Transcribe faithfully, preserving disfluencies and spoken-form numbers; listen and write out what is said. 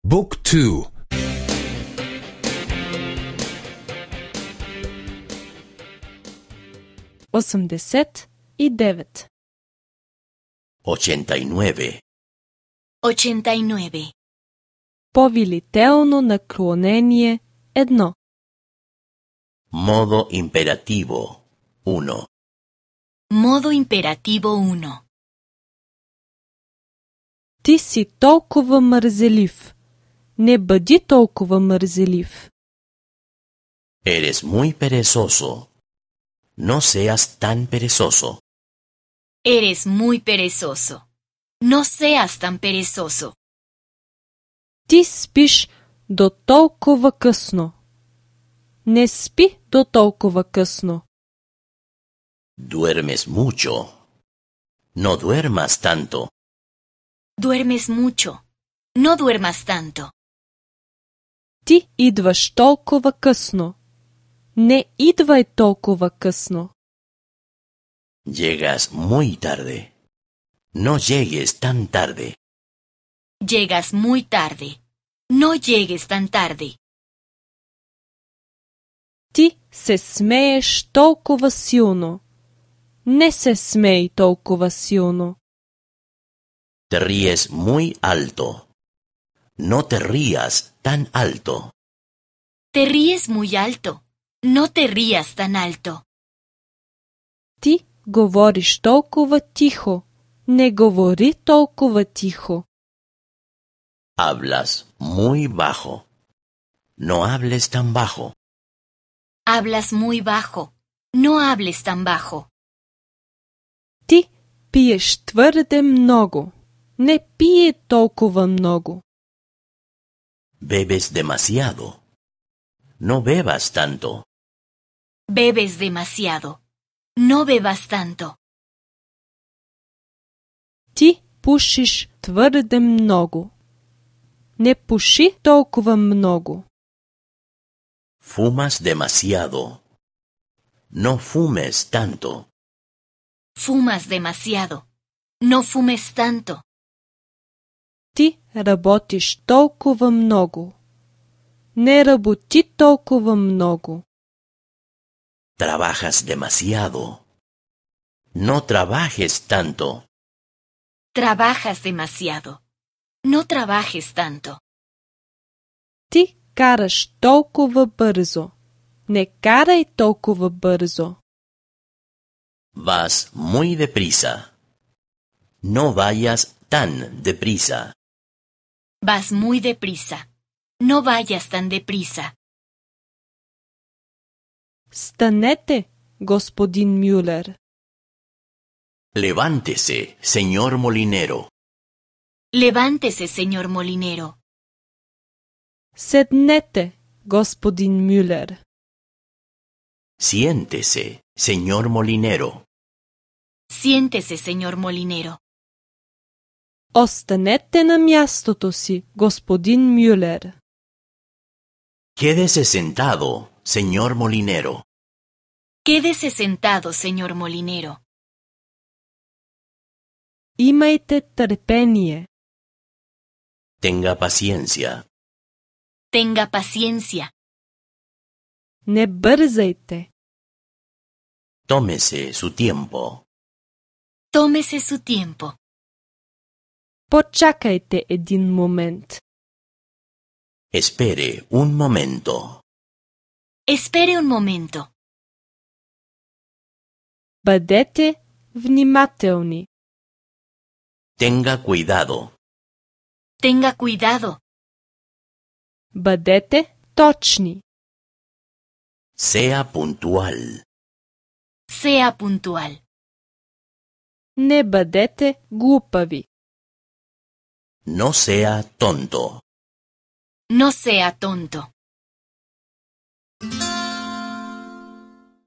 Book two. осемдесет и девет. Ochenta y nueve. Ochenta y nueve. Повелително наклонение едно. Modo imperativo. Uno. Modo imperativo uno. Ти си толкова мързелив. Не бъди толкова мързелив. Eres muy perezoso. No seas tan perezoso. Eres muy perezoso. No seas tan perezoso. Ти спиш до толкова късно. Не спи до толкова късно. Duermes mucho. No duermas tanto. Duermes mucho. No duermas tanto. Ти идваш толкова късно. Не идвай толкова късно. Llegas muy tarde. No llegues tan tarde. Llegas muy tarde. No llegues tan tarde. Ти се смееш толкова силно. Не се смей толкова силно. Te ríes muy alto. No te rías tan alto. Te ríes muy alto. No te rías tan alto. Ти говориш толкова тихо. Не говори толкова тихо. Hablas muy bajo. No hables tan bajo. Hablas muy bajo. No hables tan bajo. Ти пиеш твърде много. Не пие толкова много. Bebes demasiado. No bebas tanto. Bebes demasiado. No bebas tanto. Ти пушиш твърде много. Не пуши толкова много. Fumas demasiado. No fumes tanto. Fumas demasiado. No fumes tanto. Ти работиш толкова много. Не работи толкова много. Trabajas demasiado. No trabajes tanto. Trabajas demasiado. No trabajes tanto. Ти караш толкова бързо. Не карай толкова бързо. Vas muy deprisa. No vayas tan deprisa. Vas muy deprisa. No vayas tan deprisa. Станете, господин Мюлер. Levántese, señor molinero. Levántese, señor molinero. Седнете, господин Мюлер. Siéntese, señor molinero. Siéntese, señor molinero. Останете на мястото си, господин Мюлер. Quédese sentado, señor molinero. Quédese sentado, señor molinero. Имайте търпение. Tenga paciencia. Tenga paciencia. Не бързайте. Tómese su tiempo. Tómese su tiempo. Почакайте един момент. Espere un momento. Espere un momento. Бъдете внимателни. Tenga cuidado. Tenga cuidado. Бъдете точни. Sea puntual. Sea puntual. Не бъдете глупави. No sea tonto. No sea tonto.